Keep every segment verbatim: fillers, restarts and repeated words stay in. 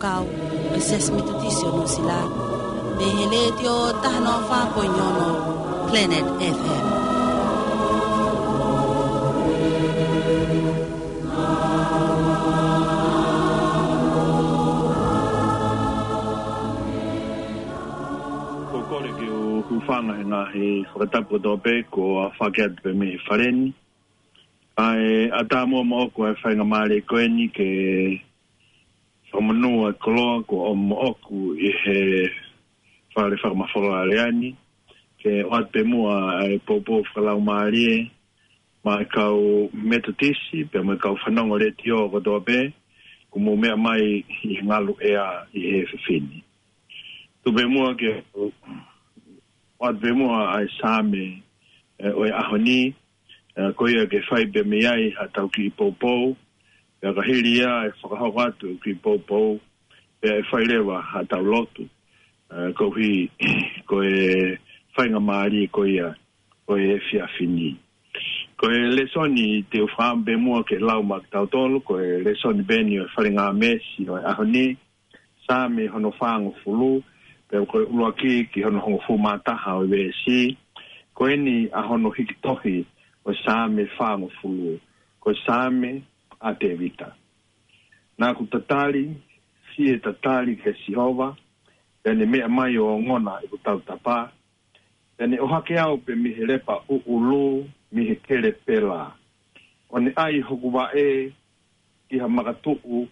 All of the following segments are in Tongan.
Kau, ʻe Siasi Metotisi ʻo Nuʻusila, mei he Letiō taha noa fā poini ono Planet F M. Ko e kole ke u hūfanga he ngaahi fakatapu kotoa pē kuo aofaki atu pē mei he fale ni. ʻA e ʻatā muʻa moʻoku ʻa e faingamālie ko eni ke fakamonū ʻa e koloa kuo ʻomi moʻoku ʻi he fale fakamafola lea ni. Ke ʻoatu pē muʻa ʻa e poupou fakalaumālie maʻa e kau Metotisi, pea mo e kau fanongo Letiō kotoa pē, kuo mou meʻa mai ʻi he ngalu ʻea ʻi he efiafi ni. Tuku pē muʻa ke ʻoatu pē muʻa ʻa e Saame, ē, ʻo e ʻaho ni, ē, ko ia ke fai pē mei ai haʻatau kiʻi poupou, pea ka hili ia ʻe fakahoko atu e kiʻi poupou, pea ʻe fai leva haʻatau lotu, ē, koeʻuhi ko e faingamālie ko ia ʻo e efiafi ni. Ko e lēsoni te u fakaʻamu pē muʻa ke lau maʻa kitautolu, ko e lēsoni pē eni ʻo e Fale Ngāmesi ʻo e ʻaho ni, Saame hono fāngofulu, pea ko e ʻuluaki ki hono hongofulu mā taha ʻo e veesi. Ko eni ʻa hono hiki tohi ʻo e Saame fāngofulu, ko e Saame ʻa Tēvita. Naʻa ku tatali, fie tatali kia Sihova, pea ne meʻa mai ʻo ongona ʻeku tautapa, pea ne ʻohake au pē mei he lepa ʻuʻulu, mei he kele pela. ʻO ne ʻai hoku vaʻe ki ha makatuʻu,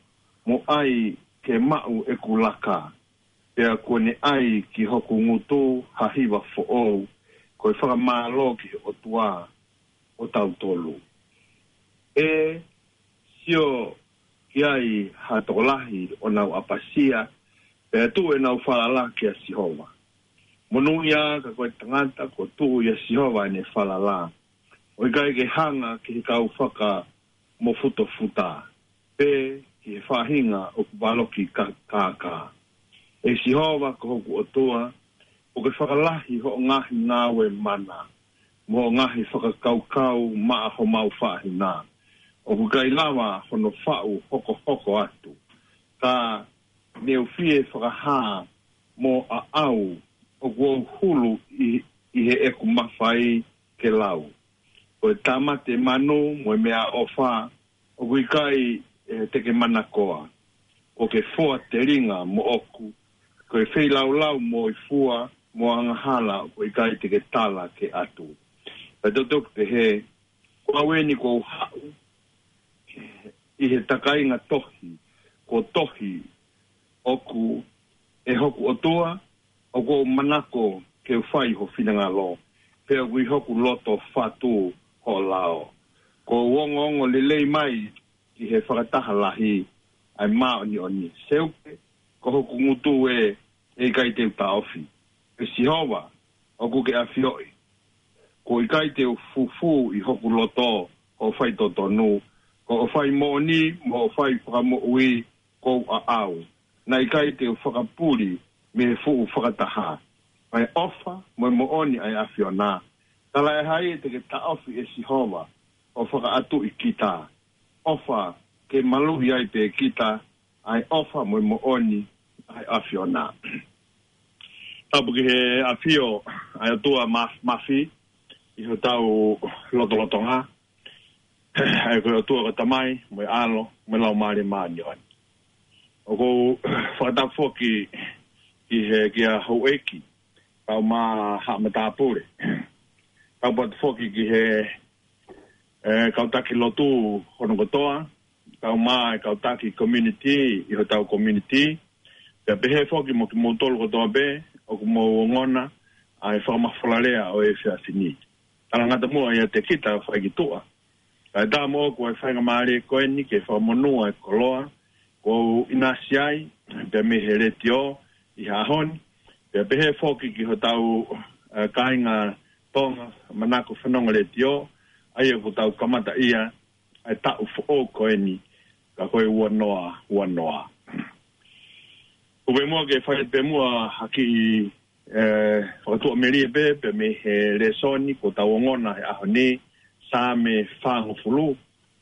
mo ʻai ke maʻu ʻeku laka, pea kuo ne ʻai ki hoku ngutu ha hiva foʻou, ko e fakamālō ki he ʻOtua ʻo tautolu. ʻE sio ki ai ha tokolahi ʻo nau ʻapasia, pea tuʻu ʻenau falala kia Sihova. Monūʻia ka ko e tangata kuo tuʻu ʻia Sihova ʻene falala, ʻo ʻikai ke hanga ki he kau fakamofutofuta, pe ki he faʻahinga ʻoku valoki ka-, kākā. ʻE Sihova ko hoku ʻOtua, ʻoku ke fakalahi hoʻo ngaahi ngāue mana, mo hoʻo ngaahi fakakaukau maʻa homau faʻahinga. ʻOku ʻikai lava hono faʻu hokohoko atu. Ka ne u fie fakahā mo aʻau, ʻoku ou hulu ʻi, ʻi heʻeku mafai ke lau. Ko e tāmate manu mo e meʻaʻofa, ʻoku ʻikai, ē, te ke manakoa. Ko ke foa telinga moʻoku, ko e feilaulau mo e fua, mo angahala, ʻoku ʻikai te ke tala ke ʻatu. Pea toki pehē, ko au eni kuo u haʻu ʻi he takainga tohi, kuo tohi, ʻoku, ʻe hoku ʻOtua, ʻoku ou manako ke u fai ho finangalo, pea ʻoku ʻi hoku loto fatu hoʻo lao. Kuo u ongoongo lelei mai ki he fakataha lahi ʻa e māʻoniʻoni. Seuke, ko hoku ngutu ē, ʻe ʻikai te u taʻofi. ʻE Sihova, ʻoku ke ʻafioʻi. Kuo ʻikai te u fufū ʻi hoku loto hoʻo faitotonu, ko hoʻo fai moʻoni mo hoʻo fai fakamoʻui kuo u aʻau. Naʻe ʻikai te u fakapuli mei he fuʻu fakataha. ʻA e ʻofa mo e moʻoni ʻa e ʻAfiona. Talaʻehai te ke taʻofi ʻe Sihova ʻo fakaʻatuʻi kita. ʻOfa ke maluʻi ai pē kita, ʻa e ʻofa mo e moʻoni ʻa e ʻAfiona. Tapu ki he ʻafio ʻa e ʻOtua Maf-, Mafi ʻi hotau lotolotonga. ʻA ia ko e ʻOtua ko e Tamai, mo e ʻAlo, mo e Laumālie Māʻoniʻoni. ʻOku ou fakatapu foki ki he, kia Houʻeiki, kau mā Haʻa Matāpule. Tapu atu foki ki he, ē, kau taki lotu hono kotoa, kau mā e kau taki community ʻi hotau community. Pea pehē foki mo kimoutolu kotoa pē ʻoku mou ongona ʻa e fakamafola lea ʻo e efiafi ni. Talangata muʻa ʻiate kita fai ki tuʻa. Kae ʻatā moʻoku ʻa e faingamālie ko eni ke fakamonū ʻa e koloa kuo u ʻinasi ai, pea mei he Letiō ʻi he ʻaho ni. Pea pehē foki ki hotau, ē, kāinga Tonga, manako fanongo Letiō, ʻa ia kuo tau kamataʻia ʻa e taʻu foʻou ko eni, ka ko e ua noa ua noa. Kuo pē muʻa ke fai pē muʻa ha kiʻi, ē, fakatuʻamelie pē, pea mei he lēsoni kuo tau ongona he ʻaho ni, Saame fāngofulu,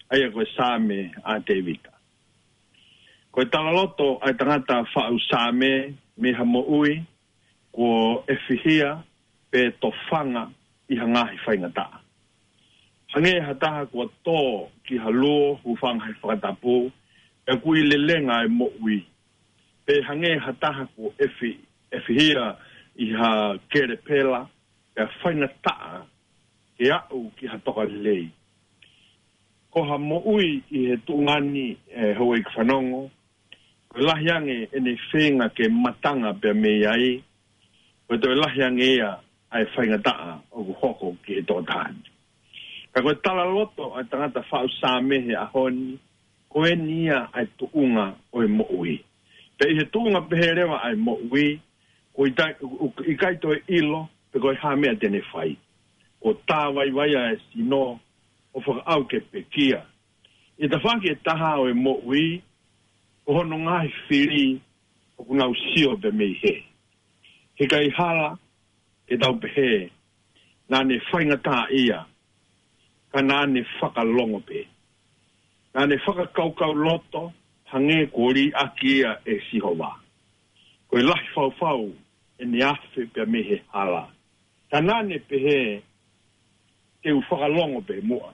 ʻa ia ko e Saame ʻa Tēvita. Ko e talaloto ʻa e tangata faʻu Saame mei ha moʻui kuo ʻefihia pe tofanga ʻi ha ngaahi faingataʻa. Hangē ha taha kuo tō ki ha luo, hūfanga he fakatapu, pea kuo ʻi lelenga e moʻui. Pe hangē ha taha kuo ʻefi-, ʻefihia ʻi ha kelepela, pea faingataʻa ke aʻu ki ha tokalelei. Ko ha moʻui ʻi he tuʻunga ni, ʻe houʻeiki fanongo, ko e lahi ange ʻene feinga ke matanga pea mei ai, ko e toe lahi ange ia ʻa e faingataʻa ʻoku hoko ki he tokotaha ni. Ka ko e talaloto ʻa e tangata faʻu Saame he ʻaho ni, ko eni ia ʻa e tuʻunga ʻo e moʻui. Pea ʻi he tuʻunga pehē leva ʻa e moʻui, ko ʻikai, ʻikai toe ʻilo pe ko e hā meʻa te ne fai. Kuo tāvaivaia e sino ʻo fakaʻau ke pekia. ʻI he tafaʻaki ʻe taha ʻo e moʻui, ko hono ngaahi fili ʻoku nau sio pē mei hē. He ʻikai hala ke tau pehē naʻa ne faingataʻaʻia, ka naʻa ne fakalongo pē. Naʻa ne fakakaukau loto hangē kuo liʻaki ia ʻe Sihova. Ko e lahi faufau ʻene afe pea mei he hala. Ka naʻa ne pehē, te u fakalongo pē muʻa.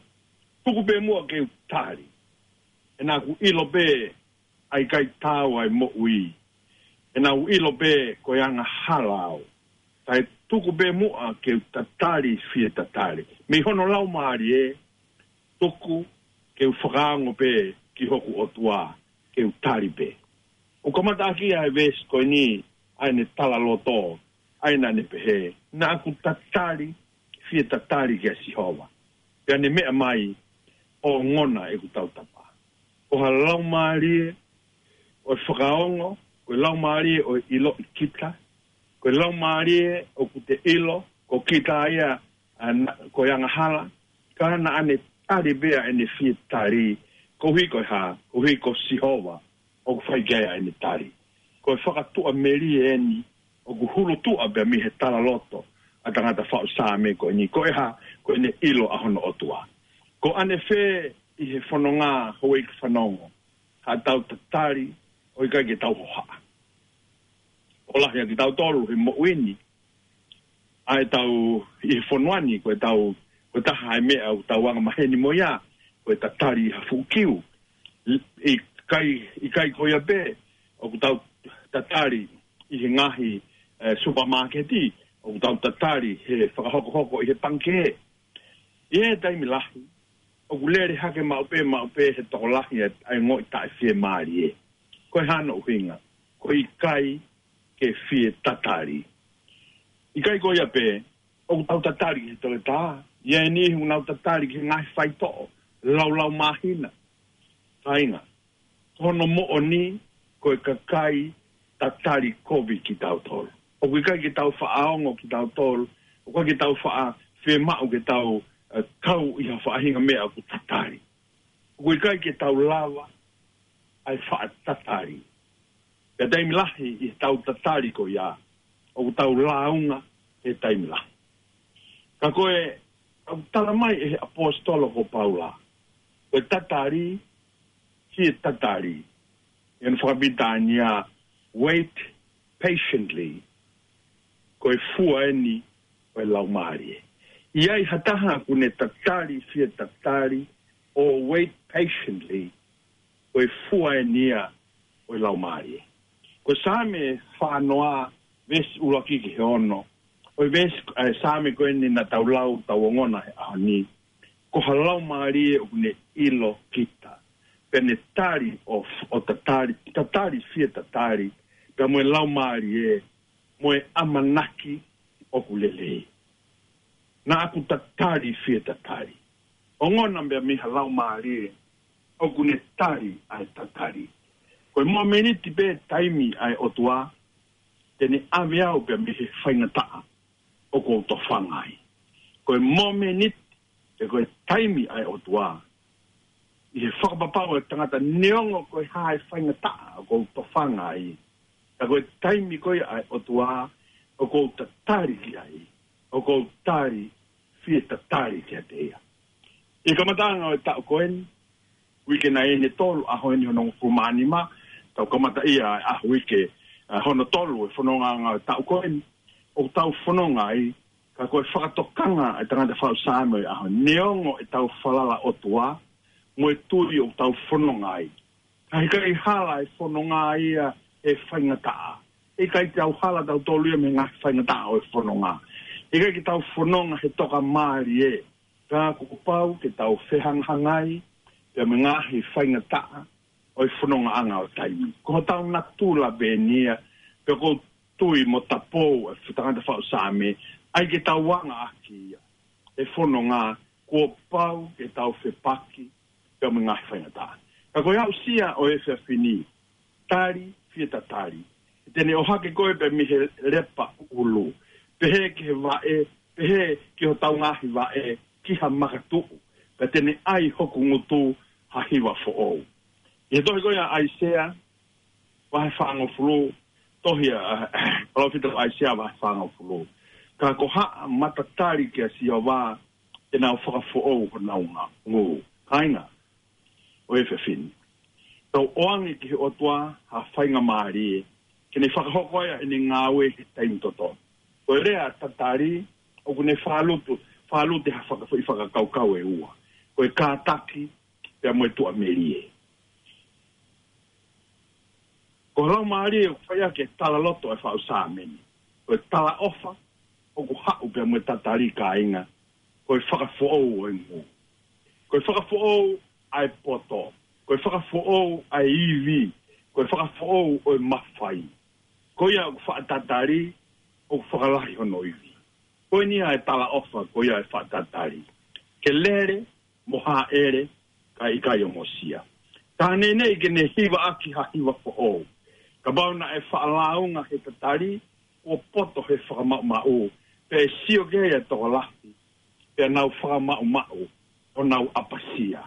Tuku pē muʻa ke u tali. He naʻa ku ʻilo pē ʻa e ʻikai taau ʻa e moʻui. He naʻa ku ʻilo pē ko e angahala au. Kae tuku pē muʻa ke u tatali fie tatali. Mei hono laumālie, tuku ke u fakaongo pē ki hoku ʻOtua, ke u tali pē. ʻOku kamataʻaki ʻa e veesi ko eni ʻa ʻene talaloto, ʻa ia naʻa ne pehē, naʻa ku tatali fie tatali kia Sihova. Pea ne meʻa mai, ongona ʻeku tautapa. Ko ha laumālie ʻo e fakaongo, ko e laumālie ʻo e ʻiloʻi kita, ko e laumālie ʻoku te ʻilo ko kita ia, ʻa, na-, ko e angahala, ka naʻa ne tali pē ʻa ʻene fie tali, koeʻuhi ko e hā, koeʻuhi ko Sihova ʻoku fai ki ai ʻa ʻene tali. Ko e fakatuʻamelie eni ʻoku hulutuʻa pea mei he talaloto ʻa e tangata faʻu Saame ko eni, ko e hā, ko ʻene ʻilo ʻa hono ʻOtua. Ko ʻanefē ʻi he fononga, houʻeiki fanongo, haʻatau tatali ʻo ʻikai ke tau hohaʻa? ʻOku lahi ʻa kitautolu he moʻui ni, ʻa ʻetau ʻi he fonua ni, ko ʻetau, ko e taha e meʻa ʻoku tau angamaheni mo ia, ko e tatali ʻi ha fuʻu kiu. ʻI-, ʻikai, ʻikai ko ia pē ʻoku tau tatali ʻi he ngaahi, ʻe, supermarket, ʻoku tau tatali he fakahokohoko ʻi he pangikē. ʻI he taimi lahi, ʻoku lele hake maʻu pē, maʻu pē he tokolahi ʻa e, ʻa e ongoʻi taʻefiemālie. Ko e hā hono ʻuhinga? Ko e ʻikai ke fie tatali. ʻIkai ko ia pē, ʻoku tau tatali ki he toletā. ʻI ai e niʻihi ʻoku nau tatali ki he ngaahi faitoʻo, laulau māhina. Kāinga, ko hono moʻoni, ko e kakai tatali kovi kitautolu. ʻOku ʻikai ke tau faʻa ongo kitautolu, ʻoku ʻikai ke tau faʻa fiemaʻu ke tau, ʻe, kau ʻi ha faʻahinga meʻa ʻoku tatali. ʻOku ʻikai ke tau lava ʻa e faʻa tatali. Pea taimi lahi ʻi he tau tatali ko ia, ʻoku tau lāunga he taimi lahi. Ka ko e, ʻoku tala mai ʻe he ʻaposetolo ko Paula, ko e tatali, fie tatali. ʻI hono fakapilitānia, wait patiently. Ko e fua eni ʻo e laumālie. ʻI ai ha taha ʻoku ne tatali fie tatali, ʻo wait patiently, ko e fua eni ia ʻo e laumālie. Ko Saame fānoa, veesi ʻuluaki ki he ono. ʻO e veesi, ʻa e Saame ko eni naʻa tau lau, tau ongona he ʻaho ni. Ko ha laumālie ʻoku ne ʻilo kita. Pea ne tali ʻo, ʻo tatali, tatali fie tatali. Pea mo e laumālie, mo e ʻamanaki ʻoku lelei. Naʻa ku tatali fie tatali. Ongona pea mei ha laumālie ʻoku ne tali ʻa e tatali. Ko e mōmeniti pē taimi ʻa e ʻOtua, te ne ʻave au pea mei he faingataʻa ʻoku ou tofanga ai. Ko e mōmeniti, pe ko e taimi ʻa e ʻOtua, ʻi he fakapapau ʻa e tangata neongo ko e hā e faingataʻa ʻoku ou tofanga ai. Ka ko e taimi ko ia ʻa e ʻOtua, ʻoku ou tatali ki ai, ʻoku ou tali, fie tatali kiate ia. ʻI he kamataʻanga ʻo e taʻu ko eni, uike nai ʻe tolu, ʻaho eni hono hongofulu mā nima, tau kamata ia e ʻaho uike, ʻa, hono tolu e fononga ʻa e taʻu ko eni, ʻoku tau fononga ai, ka ko e fakatokanga ʻa e tangata faʻu Saame ʻo e ʻaho, neongo ʻetau falala ʻOtua, mo e tui ʻoku tau fononga ai. Ka heʻikai hala e fononga ia he faingataʻa. Heʻikai tau hala tautolu ia mei he ngaahi faingataʻa ʻo e fononga. Heʻikai ke tau fononga he toka mālie. Ka kuo pau ke tau fehangahangai, pea mo e ngaahi faingataʻa ʻo e fonongaʻanga ʻo taimi. Ko hotau natula pē eni ia, pea ʻoku ou tui mo tapou e fu-, tangata faʻu Saame, ʻai ke tau anga ʻaki ia. E fononga, kuo pau ke tau fepaki, pea mo e ngaahi faingataʻa. Ka ko e aʻusia ʻo e efiafi ni, tali, fie tatali. Te ne ʻohake koe pea mei he lepa ʻulu. Pehē ki he vaʻe, pehē ki hotau ngaahi vaʻe, ki ha makatuʻu. Pea te ne ʻai hoku ngutu ha hiva foʻou. ʻI he tohi ko ia ʻa ʻAisea, vahe fāngofulu, tohi ʻa, ʻa, palōfita ʻAisea vahe fāngofulu. Ka ko haʻa matatali kia Sihova, te nau fakafoʻou honau ngā, ngū. Kāinga, ʻo e efiafi ni. Tau ʻoange ki he ʻOtua ha faingamālie, ke ne fakahoko ai ʻene ngāue he taimi totonu. Ko e lea tatali, ʻoku ne fālutu, fālute ha faka-, foʻi fakakaukau ʻe ua. Ko e kātaki, pea mo e tuʻamelie. Ko e laumālie ʻoku fai ʻaki e talaloto ʻa e faʻu Saame ni. Ko e talaʻofa, ʻoku haʻu pea mo e tatali kāinga. Ko e fakafoʻou ʻo e ngū. Ko e fakafoʻou ʻa e poto. Ko e fakafoʻou ʻa e ivi. Ko e fakafoʻou ʻo e mafai. Ko ia ʻoku faʻa tatali, ʻoku fakalahi hono ivi. Ko eni ʻa e talaʻofa, ko ia ʻa e faʻa tatali. Ke lele, mo hāʻele, ka ʻikai ʻo mosia. Ka neʻineʻi ke ne hiva ʻaki ha hiva foʻou. Kapau naʻe faʻa lāunga he tatali, kuo poto he fakamaʻumaʻu, pea ʻe sio ki ai e tokolahi, pea nau fakamaʻumaʻu, ʻo nau ʻapasia.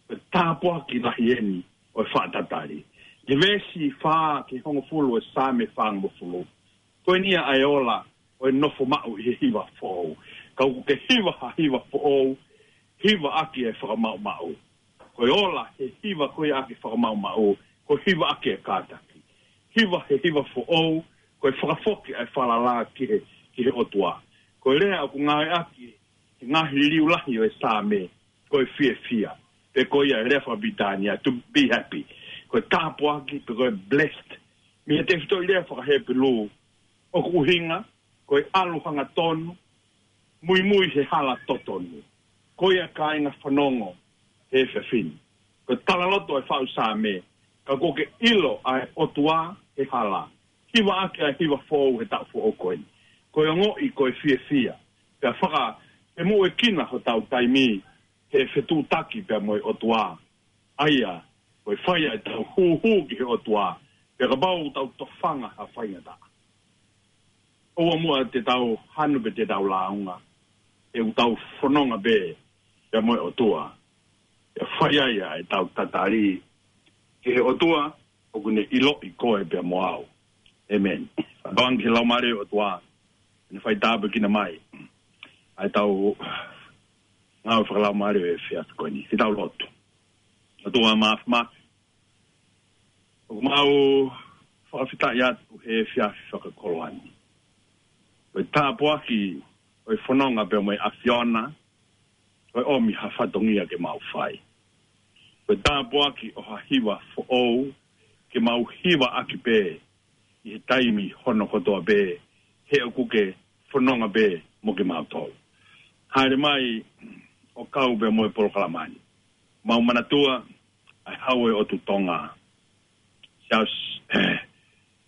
Ko e tāpuaki lahi eni ʻo e faʻa tatali. ʻI he veesi fā ki he hongofulu ʻo e Saame fāngofulu. Ko eni ia ʻa e ola ʻo e nofo maʻu ʻi he hiva foʻou. Ka ʻoku ke hiva ha hiva foʻou, hiva ʻaki e fakamaʻumaʻu. Ko e ola he hiva ko ia ʻaki e fakamaʻumaʻu, ko e hiva ʻaki e kātaki. Hiva he hiva foʻou, ko e fakafoki ʻa e falala ki he, ki he ʻOtua. Ko e lea ʻoku ngāueʻaki he ngaahi liliu lahi ʻo e Saame, ko e fiefia. Pe ko ia e lea fakapilitānia, to be happy. Ko e tāpuaki, pe ko e blessed. Mei he tefitoʻi lea fakaHepelū, ʻoku ʻuhinga, ko e ʻalu hangatonu, muimui he hala totonu. Ko ia kāinga fanongo he efiafi ni. Ko e talaloto ʻa e faʻu Saame, ka kuo ke ʻilo ʻa e ʻOtua he hala. Hiva ʻaki ʻa e hiva foʻou he taʻu foʻou ko eni. Ko e ongoʻi, ko e fiefia. Pea faka, ʻe muʻekina hotau taimi, he fetuʻutaki pea mo e ʻOtua. ʻA ia, ko e fai ʻa e tau hūhū ki he ʻOtua, pea kapau tau tofanga ha faingataʻa. ʻOua muʻa te tau hanu pe te tau lāunga, he ʻoku tau fononga pē, pea mo e ʻOtua. Pea fai ai ʻa e tau tatali, ki he ʻOtua, ʻoku ne ʻiloʻi koe pea mo au. ʻĒmeni. Tauange ki he Laumālie ʻo e ʻOtua, ne fai tāpuekina mai ʻa e tau ngāue fakalaumālie ʻo e efiafi ko eni. Ke tau lotu. ʻOtua Māfimafi, ʻoku mau fakafetaʻi atu he efiafi fakakoloa ni. Ko e tāpuaki ʻo e fononga pea mo e ʻAfiona, ko e ʻomi ha fatongia ke mau fai. Ko e tāpuaki ʻo ha hiva foʻou, ke mau hiva ʻaki pē, ʻi he taimi hono kotoa pē, he ʻoku ke fononga pē mo kimautolu. Haere mai ʻo kau pē mo e polokalama ni. Mau manatua, ʻa e Hau ʻo e ʻOtu Tonga. Siaosi,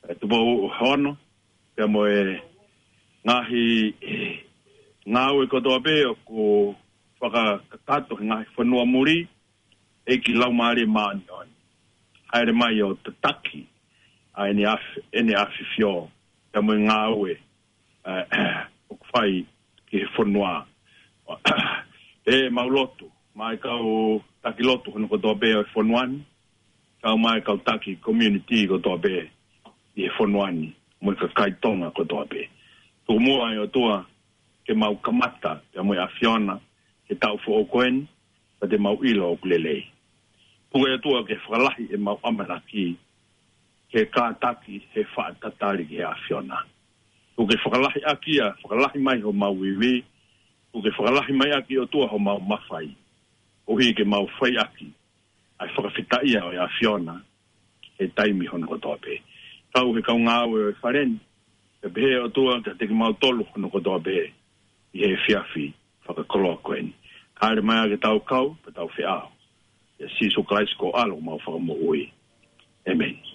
ʻe Tupou Hono, pea mo e ngaahi, ʻe, ngāue kotoa pē ʻoku fakakakato he ngaahi fonua muli, ʻEiki Laumālie Māʻoniʻoni. Haere mai ʻo tataki, ʻa ʻene ʻaf-, ʻene ʻafifio, pea mo e ngāue, ʻe, ʻoku fai ki he fonua. ʻE mau lotu, mo e kau taki lotu hono kotoa pē ʻo e fonua ni, kau mo e kau taki community kotoa pē ʻi he fonua ni, mo e kakai Tonga kotoa pē. Tuku muʻa ʻe ʻOtua, ke mau kamata, pea mo e ʻAfiona, he taʻu foʻou ko eni, pea te mau ʻilo ʻoku lelei. Tuku ʻe ʻOtua ke fakalahi ʻemau ʻamanaki, he kātaki, he faʻa tatali ki he ʻAfiona. Kuo ke fakalahi ʻaki ia, fakalahi mai homau ivi, kuo ke fakalahi mai ʻaki ʻOtua homau mafai. ʻOku ʻikai ke mau fai ʻaki ʻa e fakafetaʻi ʻa e ʻAfiona he taimi hono kotoa pē. Kau he kau ngāue ʻo e fale ni, pea pehē ʻOtua kiate kimautolu hono kotoa pē ʻi he efiafi fakakoloa ko eni. Haʻele mai ā ke tau kau, pea tau feʻao. ʻIa Sīsū Kalaisi ko e ʻAlo homau Fakamoʻui. ʻĒmeni.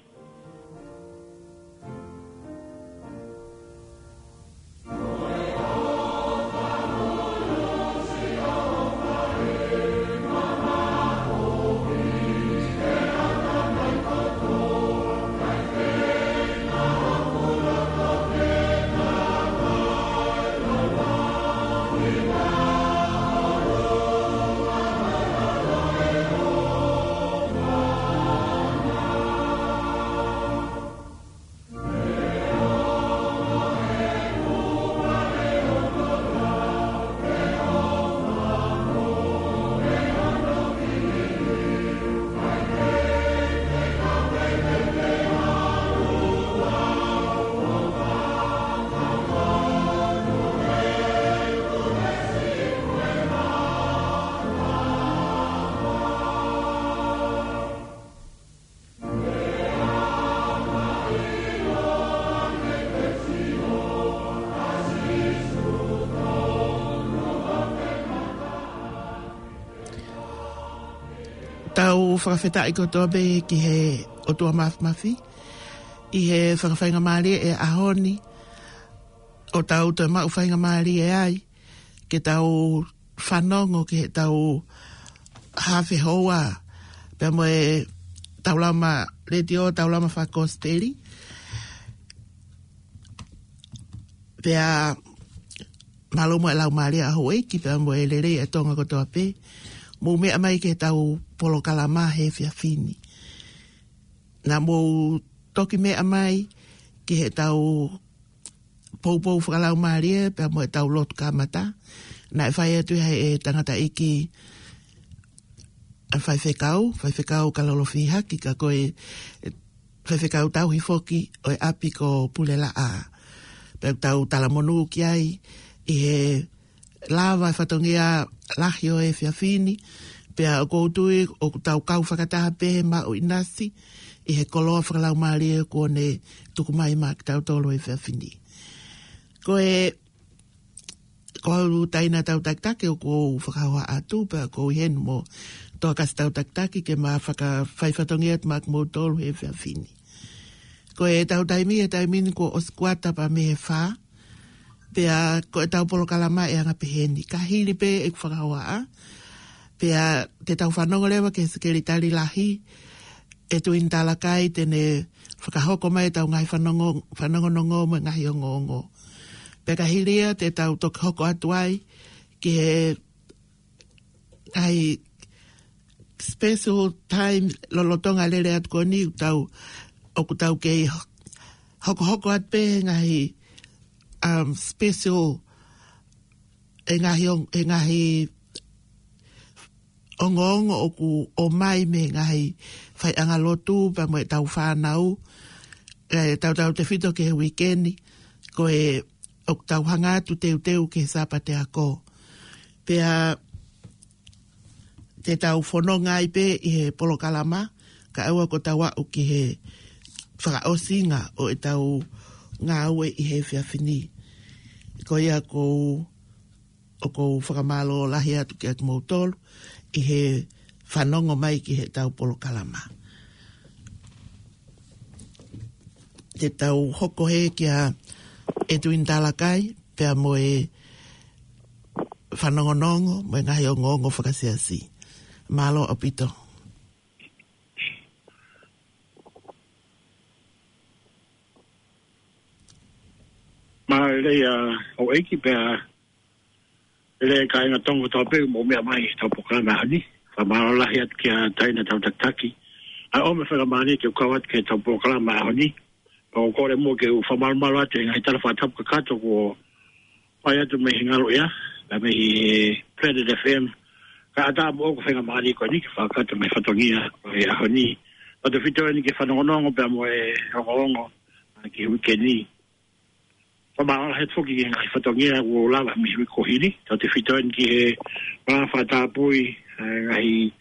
Tau fakafetaʻi kotoa pē ki he ʻOtua Māfimafi ʻi he fakafaingamālie ʻo e ʻaho ni, ʻo tau toe maʻu faingamālie ai ke tau fanongo ki heʻetau haafe houa pea mo e taulama letiō, taulama fakakosipeli. Pea mālō mo e laumālie ʻa houʻeiki pea mo e lelei ʻa Tonga kotoa pē. Mou meʻa mai ki heʻetau polokalama he efiafi ni. Naʻa mou toki meʻa mai ki heʻetau poupou fakalaumālie pea mo ʻetau lotu kamata. Naʻe fai atu ia ʻe he tangataʻeiki ʻa e faifekau, faifekau Kalolo Fihaki, ka ko e faifekau tauhi foki ʻo e ʻapi ko Pulelaʻā. Pea tau talamonū ki ai ʻi he lava e fatongia lahi ʻo e efiafi ni, pea ʻoku ou tui ʻoku tau kau fakataha pē he maʻu ʻinasi ʻi he koloa fakalaumālie kuo ne tuku mai maʻa kitautolu he efiafi ni. Ko e, ko au Taina Tautakitaki ʻoku ou fakahoha atu, pea ʻoku ou ʻi heni mo Toakasi Tautakitaki ke ma fakafaifatongia atu maʻa kimoutolu he efiafi ni. Ko ʻetau taimi, he taimi ni kuo ʻosi kuata pea mei he fā, pea ko ʻetau polokalama ʻe anga pehē ni. Ka hili pē ʻeku fakahohaʻa, pea te tau fanongo leva ki he Sekelitali Lahi, ʻEtuini Talakai, te ne fakahoko mai ʻetau ngaahi fanongo, fanongonongo mo e ngaahi ongoongo. Pea ka hili ia te tau toki hoko atu ai ki he ngaahi special time lolotonga e lele atu ko eni, ʻoku tau, ʻoku tau kei hokohoko atu pē he ngaahi, um, special, e ngaahi ong-, e ngaahi ongoongo ʻoku ʻomai mei he ngaahi faiʻanga lotu pea mo ʻetau fānau, ʻe tautautefito ki he uike ni, ko e ʻoku tau hanga atu teuteu ki he Sāpate Ako. Pea te tau fononga ai pē ʻi he polokalama, kae ʻoua kuo tau aʻu ki he fakaʻosinga ʻo ʻetau ngāue ʻi he efiafi ni. Ko ia ʻoku ou, ʻoku ou fakamālō lahi atu kiate kimoutolu ʻi he fanongo mai ki heʻetau polokalama. Te tau hoko hē kia ʻEtuini Talakai, pea mo e fanongonongo, mo e ngaahi ongoongo fakasiasi. Mālō ʻaupito. Mālō e houʻeiki pea lelei kāinga Tonga kotoa pē mou meʻa mai heʻetau polokalama ʻaho ni. Fakamālō lahi atu kia Taina Tautakitaki. ʻA e ʻomi e faingamālie ke u kau atu ki heʻetau polokalama ʻaho ni. Pea ʻoku ou kole muʻa ke u fakamalumalu atu he ngaahi tala fakatapu kakato kuo fai atu mei he ngaluʻea, ka mei he Planet F M. Kae ʻatā moʻoku e faingamālie ko eni ke fakakakato mai e fatongia ʻo e ʻaho ni. Tautefito eni ki he fanongonongo pea mo e ongoongo, ʻa, ki he uike ni. Fakamālō lahi atu foki ki he ngaahi fatongia kuo lava mei he uike kuo hili. Tautefito eni ki he fakatapui, ʻa, ngaahi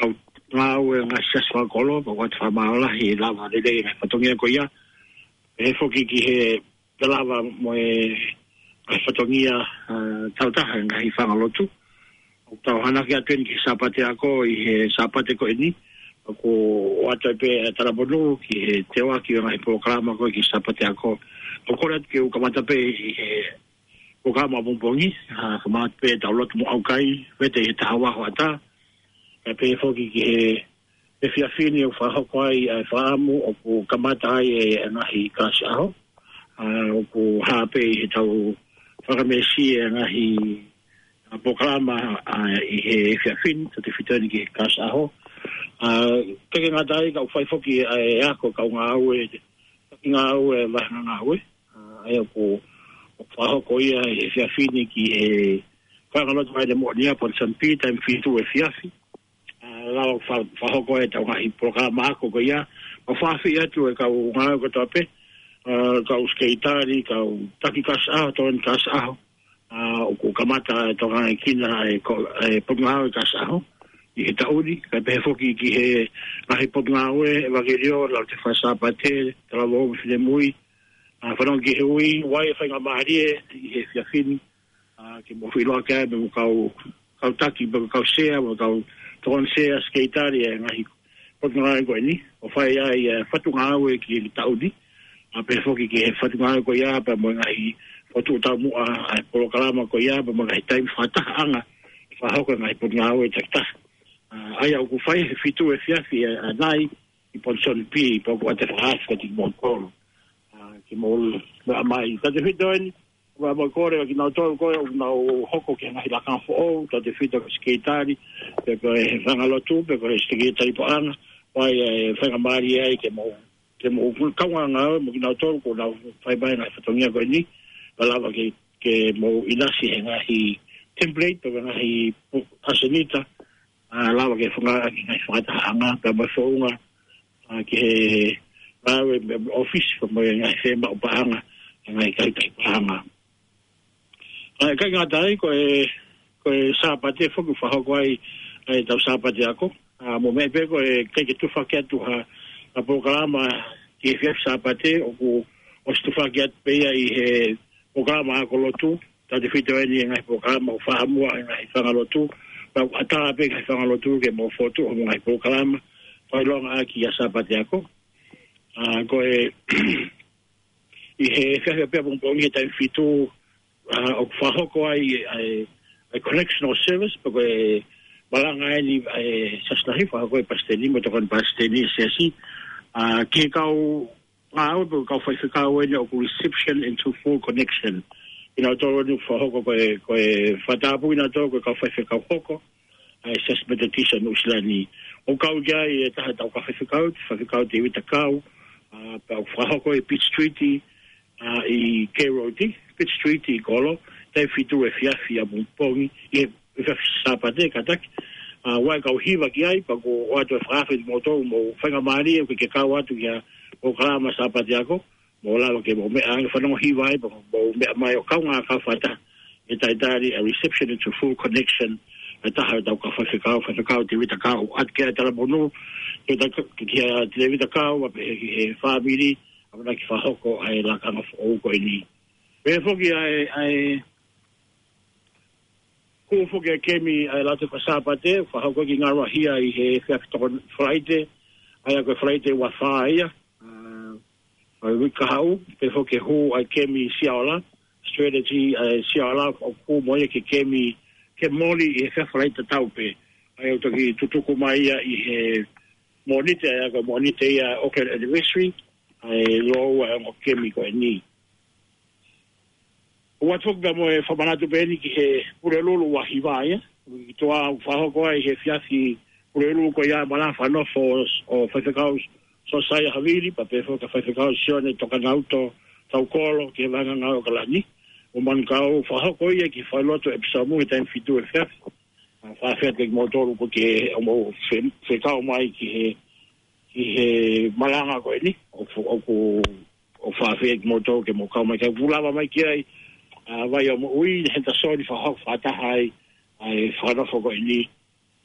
kau ngāue ngaahi siasi fakakolo, pea ʻoku ʻoatu fakamālō lahi he lava lelei ngaahi fatongia ko ia. Pehē foki ki he lava mo e ngaahi fatongia, ʻa, tau taha ngaahi fanga lotu. ʻOku tau hanaki atu eni ki he Sāpate Ako ʻi he Sāpate ko eni. ʻOku ʻoatu pē ʻa e talabonu ki he teuaki ʻo e ngaahi polokalama ko ē ki he Sāpate Ako. ʻOku kole atu ke u kamata pē ʻi he polokalama ʻapongipongi, ʻa, kamata pē tau lotu mo ʻaukai, vete ʻi he taha ua hoʻatā. Kae pehē foki ki he efiafi ni ʻoku fakahoko ai ʻa e fakaʻamu ʻoku kamata ai e ngaahi kalasi ʻaho. ʻA, ʻoku hā pē ʻi he tau fakamesi e ngaahi, ʻa, polokalama, ʻa, ʻi he efiafi ni, tautefito eni ki he kalasi ʻaho. ʻA, ʻikai ke ngata ai ka ʻoku fai foki ʻa e ako kau ngāue, taki ngāue, vahenga ngāue. ʻA, ʻa ia ʻoku, ʻoku fakahoko ia ʻi he efiafi ni ki he fanga lotu Vaile Moʻonia, Ponson P, taimi fitu efiafi. ʻA, lava fa-, fakahoko e tau ngaahi polokalama ako ko ia. ʻOku fakaafeʻi atu e kau ngāue kotoa pē, ʻa, kau sekelitali, kau taki kalasi ʻaho, tokoni kalasi ʻaho. ʻA, ʻoku kamata e tokangaʻi kinaua e ko-, e potungāue kalasi ʻaho ʻi he taʻu ni, kae pehē foki ki he ngaahi potungāue, ʻevangeliō, laute faka-Sāpate, talavou mo e finemui. ʻA, fanongo ki he ui, ʻoku ʻi ai e faingamālie ʻi he efiafi ni, ʻa, ke mou feʻiloaki ai mo e kau, kau taki, mo e kau sea, mo e kau tokoni sea, sekelitali, e ngaahi potungāue ko eni, ʻo fai ai e fatu ngāue ki he taʻu ni. ʻA, pehē foki ki he fatu ngāue ko ia, pea mo e ngaahi fokotuʻu taumuʻa ʻa e polokalama ko ia, pea mo e ngaahi taimi fakatahaʻanga, fakahoko e ngaahi potungāue takitaha. ʻA, ʻa ia ʻoku fai he fitu efiafi ʻa, ʻa nai ʻi Ponson P, pea ʻoku ʻoatu e fakaafe kiate kimoutolu. ʻA, ke mou meʻa mai. Tautefito eni, ʻoku mau kole ʻa kinautolu ko ē ʻoku nau hoko ki he ngaahi lakanga foʻou, tautefito ki he sekelitali, pe ko e fanga lotu, pe ko e sekelitali paʻanga, ʻoku ʻi ai e faingamālie ai ke mou, ke mou kaungā ngāue mo kinautolu kuo nau fai mai e ngaahi fatongia ko eni, pea lava ke, ke mou ʻinasi he ngaahi template, pe ko e ngaahi pu-, ʻasenita, ʻa, lava ke fakaʻaki e ngaahi fakatahaʻanga, pea mo e founga, ʻa, ki he ngāue mei he ʻōfisi, pea mo e ngaahi fiemaʻu paʻanga, ngaahi kautaha paʻanga. ʻA, ʻikai ngata ai, ko e, ko e Sāpate foki ʻoku fakahoko ai, ʻa e tau Sāpate Ako. ʻA, mou meʻa pē ko e ʻikai ke tufaki atu ha, ha polokalama ki he efiafi Sāpate, ʻoku ʻosi tufaki atu pē ia ʻi he polokalama ako lotu, tautefito eni e ngaahi polokalama ʻoku fakaʻamu ʻe he ngaahi fanga lotu, pea ʻoku ʻatā pē ki he fanga lotu ke mou fokotuʻu hoʻomou ngaahi polokalama, fakaʻilonga ʻaki ʻa e Sāpate Ako. ʻA, ko e, ʻi he efiafi pē ʻapongipongi he taimi fitu, ʻa, ʻoku fakahoko ai, ʻa e, ʻa e connectional service, pe ko e malanga eni, ʻa e siasi lahi, fakahoko ʻe he palesiteni, mo e tokoni palesiteni ʻo e siasi. ʻA, ki he kau ngāue pe ko e kau faifekau eni ʻoku reception into full connection. Kinautolu eni ʻoku fakahoko ko e, ko e fakatapu kinautolu ko e kau faifekau hoko ʻa e Siasi Metotisi ʻo Nuʻusila ni. ʻOku kau ki ai e taha ʻetau kau faifekau, Faifekau Tēvita Kau, ʻa, pea ʻoku fakahoko ʻi Pitt Street, ʻa, ʻi K Road, Pitt Street ʻi kolo, taimi fitu efiafi ʻapongipongi, ʻi he efiafi Sāpate, kātaki. ʻA, ʻoku ʻi ai e kau hiva ki ai, pea ʻoku ʻoatu e fakaafe kiate kimoutolu, mou faingamālie, ʻoku ke kau atu ki he polokalama Sāpate Ako, mou lava ke mou meʻa, fanongo hiva ai, pea mou meʻa mai ʻo kaungā kau fakataha, ʻe talitali ʻa e reception into full connection, ʻa e taha ʻetau kau faifekau, Faifekau Tēvita Kau, ʻoatu ki ai e talabonu, ki he ta-, kia Tēvita Kau, pea pehē ki he fāmili, ʻamanaki fakahoko ʻa e lakanga foʻou ko eni. Pehē foki ʻa e, ʻa e, hū foki e kemi ʻa e laute faka-Sāpate, fakahoko ki Ngaruahia ʻi he efiafi Tokoni Falaite, ʻa ia ko e Falaite ua fā ia, ʻa, ʻa e uike kahaʻu, pehē foki e hū ʻa e kemi Siaola, strategy ʻa e Siaola, ʻoku hū mo ia ki he kemi, ke moli ʻi he efiafi Falaite tatau pē. ʻA ia ʻoku toki tutuku mai ia ʻi he Mōnite, ʻa ia ko e Mōnite ia Auckland Anniversary, ʻa e lōua e ongo kemi ko eni. ʻOatu foki pea mo e fakamanatu pē eni ki he Pulelulu ua hiva ia. Ki tuʻa ʻoku fakahoko ai he efiafi Pulelulu ko ia e malanga fakanofo ʻo Faifekau Siosaia Havili, pea pehē foki kia Faifekau Sione Tokanauto Taukolo, ki he vahenga ngāue ʻAokalani. ʻO manukau fakahoko ia ki he falelotu ʻEpisomu he taimi fitu efiafi. ʻA, fakafeʻiloaki kiate kimoutolu ʻoku ke, ʻo mou fe-, fekau mai ki he ʻi he malanga ko eni, ʻoku, ʻoku, ʻoku faʻa fie kimoutolu ke mou kau mai, ke mou lava mai ki ai, ʻa, Vaiomoʻui, Henderson, fakahoko fakataha ai, ʻa e fakanofo ko eni,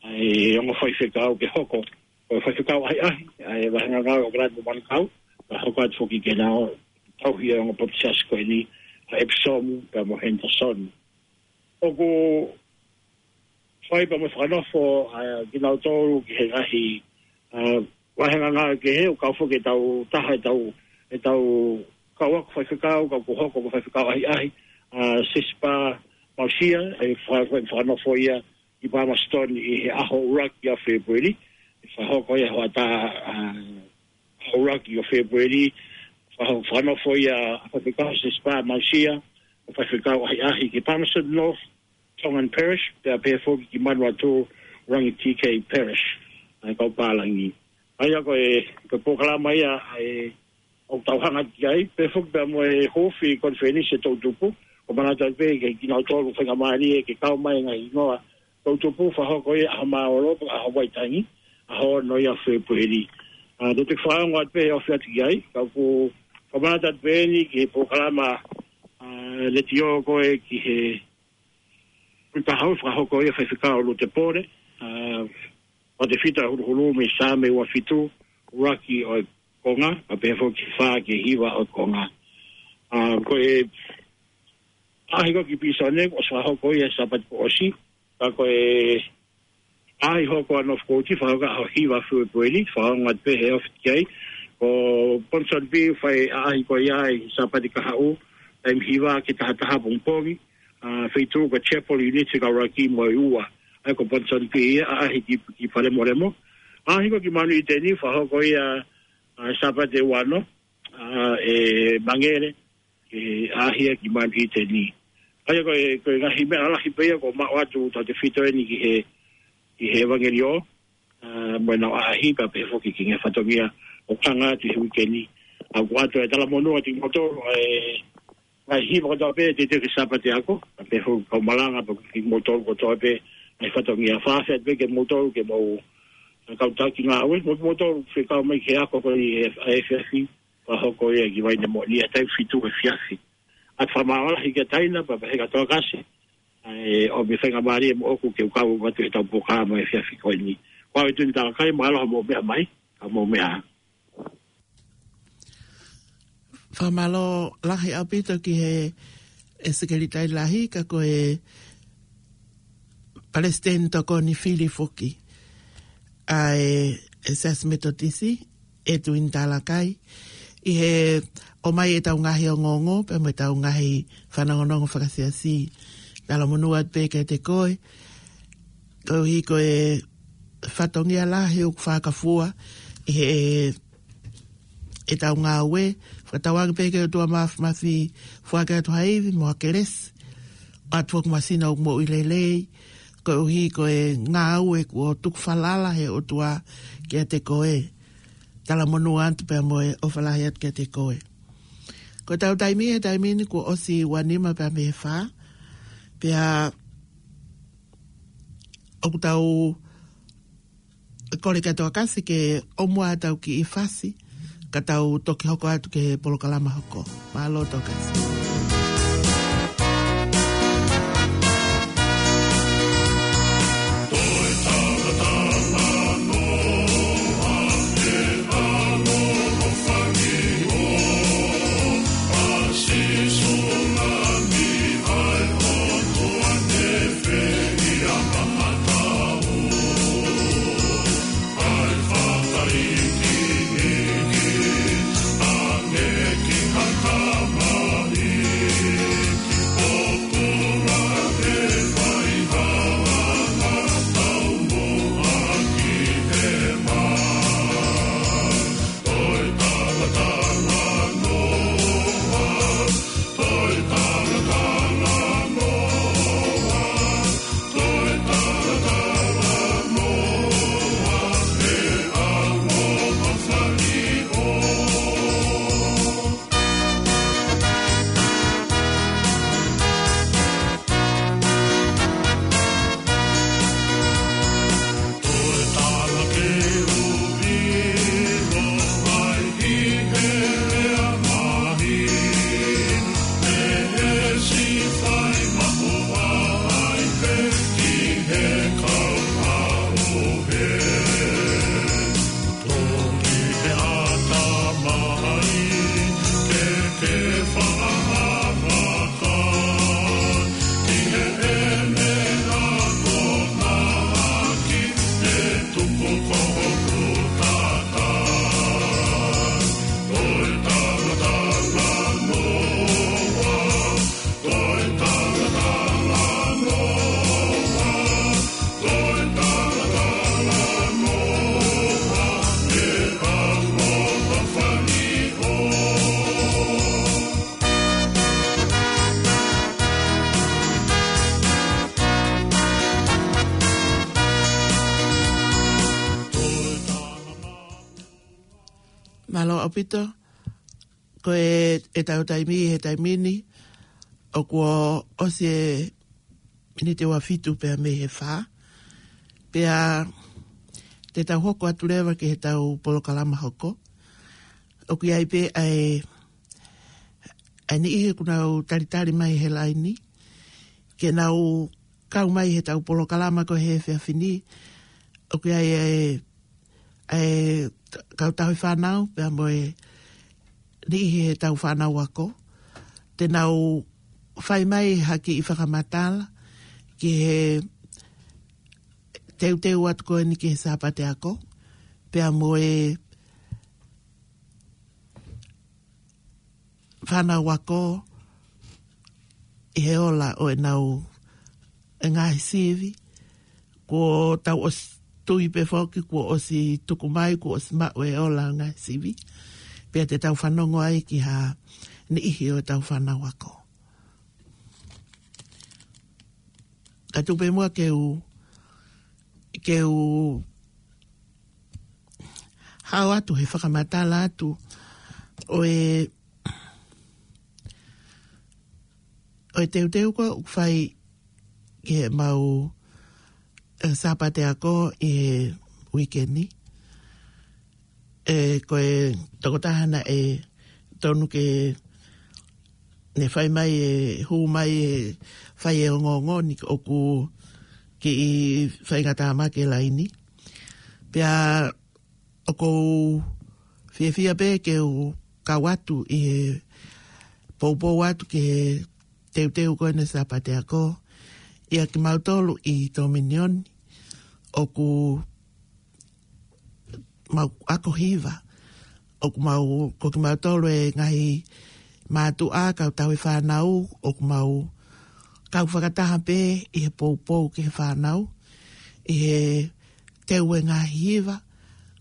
ʻa e ongo faifekau ke hoko, ko e faifekau ʻahiʻahi, ʻa e vāhenga ngāue ʻo Kalani mo Manukau, ka hoko atu foki ke nau tauhi e ongo papitaiso ko eni, ʻa Episomu, pea mo Henderson. ʻOku fai pea mo fakanofo, ʻa, kinautolu ki he ngaahi, ʻa, vāhenga ngāue kehe, ʻo kau foki ʻetau taha, ʻetau, ʻetau kau ako faifekau, kau ʻoku hoko ko e faifekau ʻahiʻahi, ʻa, Sisipa Mausia, ʻe fa-, fa-, fakanofo ia ʻi Palmerston ʻi he ʻaho ʻuluaki ʻo Fēpueli, ʻe fakahoko ia hoʻatā, ʻa, ʻuluaki ʻo Fēpueli, faho-, fakanofo ia ʻa faifekau Sisipa Mausia, ʻo faifekau ʻahiʻahi ki Palmerston North, Tongan Parish, pea pehē foki ki Manawatū, Rangitikei Parish, ʻa e kau pālangi. ʻA ia ko e, ko e polokalama ia, ʻa e, ʻoku tau hanga ki ai, pehē foki pea mo e hūfi konifelenisi ʻe toʻutupu, ʻoku manatu atu pē ke kinautolu faingamālie ke kau mai ngaahi hingoa toʻutupu, fakahoko ia ʻaho Māualoto, ʻaho Vaitangi, ʻaho ono ia ʻo Fēpueli. ʻA, te u toki fakaongo atu pē he ofi atu ki ai, ka ʻoku, ʻoku manatu atu pē eni ki he polokalama, ʻa, letiō ko ē ki he Kui Pahau, fakahoko ia ʻe Faifekau Lute Pole, ʻa, ʻo tefito e huluhulu mei Saame ua fitu, ʻuluaki ʻo e konga, pea pehē foki fā ki he hiva ʻo e konga. ʻA, ko e ʻaʻahi ko ē ki Pīsone, ʻosi fakahoko ia he Sāpate kuo ʻosi, ka ko e ʻaʻahi hoko ʻa North Coast, fakahoko ʻaho hiva Fēpueli, fakaongo atu pē he ofi atu ki ai, ko Ponsonby, fai ʻaʻahi ko ia he Sāpate kahaʻu, taimi hiva ki he taha taha pongipongi, ʻa, feituʻu ko Chapel Unity Kaulaki mo e ua. ʻA ia ko Ponsonby ia, ʻaʻahi ki, ki Palemolemo. ʻAʻahi ko ē ki Manuʻiteni, fakahoko ia, ʻa, Sāpate ua ono, ʻa, ʻe Mangele, ʻe ʻaʻahi ia ki Manuʻiteni. ʻA ia ko e, ko e ngaahi meʻa lalahi pē ia ʻoku maʻu atu tautefito eni ki he, ki he ʻevangeliō, ʻa, mo ʻenau ʻaʻahi pea pehē foki ki he ngaahi fatongia ʻoku hanga atu he uike ni. ʻA, ʻoku ʻoatu e talamonū atu kimoutolu, ʻa e ngaahi hiva kotoa pē, teuteu ki he Sāpate ako, pea pehē foki kau malanga, pea kimoutolu kotoa pē, ngaahi fatongia fāfē atu pē kimoutolu, ke mou, ʻa, kau taki ngāue, mo kimoutolu fekau mai ki he ako ko eni ʻa e efiafi, fakahoko ia ki Vainemoʻoni ʻi he taimi fitu efiafi. ʻA e fakamālō lahi kia Taina, pea pehē kia Tokasi, ʻa e ʻomi faingamālie moʻoku ke u kau atu heʻetau polokalama he efiafi ko eni. Ko au ʻa Tuini Talakai, mālō hoʻomou meʻa mai, ka mou meʻa ā. Fakamālō lahi ʻaupito ki he, ʻe Sekelitali Lahi, ka ko e Palesiteni Tokoni Fili foki ʻa e, ʻe Siasi Metotisi, ʻe Tuini Talakai, ʻi he ʻomai ʻetau ngaahi ongoongo, pea mo ʻetau ngaahi fanongonongo fakasiasi. Talamonū atu pē kiate koe, koeʻuhi ko e fatongia lahi ʻoku fakafua ʻi he, ʻetau ngāue, fakatauange pē ki he ʻOtua Māfimafi, foaki atu ha ivi mo ha kelesi, ʻoatu ʻoku masina ʻoku moʻui lelei, koeʻuhi ko e ngāue kuo tuku falala he ʻOtua kiate koe. Talamonū atu pea mo e ʻofa lahi atu kiate koe. Ko ʻetau taimi he taimi ni kuo ʻosi ua nima pea mei he fā, pea ʻoku tau kole kia Tokasi ke ʻomai ʻetau kiʻi fasi, ka tau toki hoko atu ki he polokalama hoko. Mālō Tokasi. ʻaupito, ko e, ʻetau taimi he taimi ni, ʻoku ʻosi e miniti ua fitu pea mei he fā. Pea te tau hoko atu leva ki heʻetau polokalama hoko. ʻOku ʻi ai pē ʻa e, ʻa e niʻihi ʻoku nau talitali mai he laini ke nau kau mai heʻetau polokalama ko e he efiafi ni. ʻOku ʻi ai e, e kau tauhi fānau, pea mo e niʻihi heʻetau fānau ako. Te nau fai mai ha kiʻi fakamatala ki he teuteu atu ko eni ki he Sāpate ako, pea mo e fānau ako ʻi he ola ʻo ʻenau, e ngaahi sivi, kuo tau ʻosi tui pē foki, kuo ʻosi tuku mai, kuo ʻosi maʻu e ola ngaahi sivi. Pea te tau fanongo ai ki ha niʻihi ʻo ʻetau fānau ako. Ka tuku pē muʻa ke u, ke u hao atu he fakamatala atu ʻo e, ʻo e teuteu ko ē ʻoku fai ki heʻemau, e, Sāpate ako ʻi he uike ni. E, ko e tokotaha naʻe tonu ke ne fai mai e, hū mai e, fai e ongoongo ni ʻoku kiʻi faingataʻa mai ki he laini. Pea ʻoku ou fiefia pē ke u kau atu ʻi he poupou atu ki he teuteu ko eni Sāpate ako, ʻia kimautolu ʻi Tōminioni, ʻoku mau ako hiva, ʻoku mau, ko kimautolu e ngaahi mātuʻa, kau tauhi fānau, ʻoku mau kau fakataha pē ʻi he poupou ki he fānau, ʻi he teu e ngaahi hiva,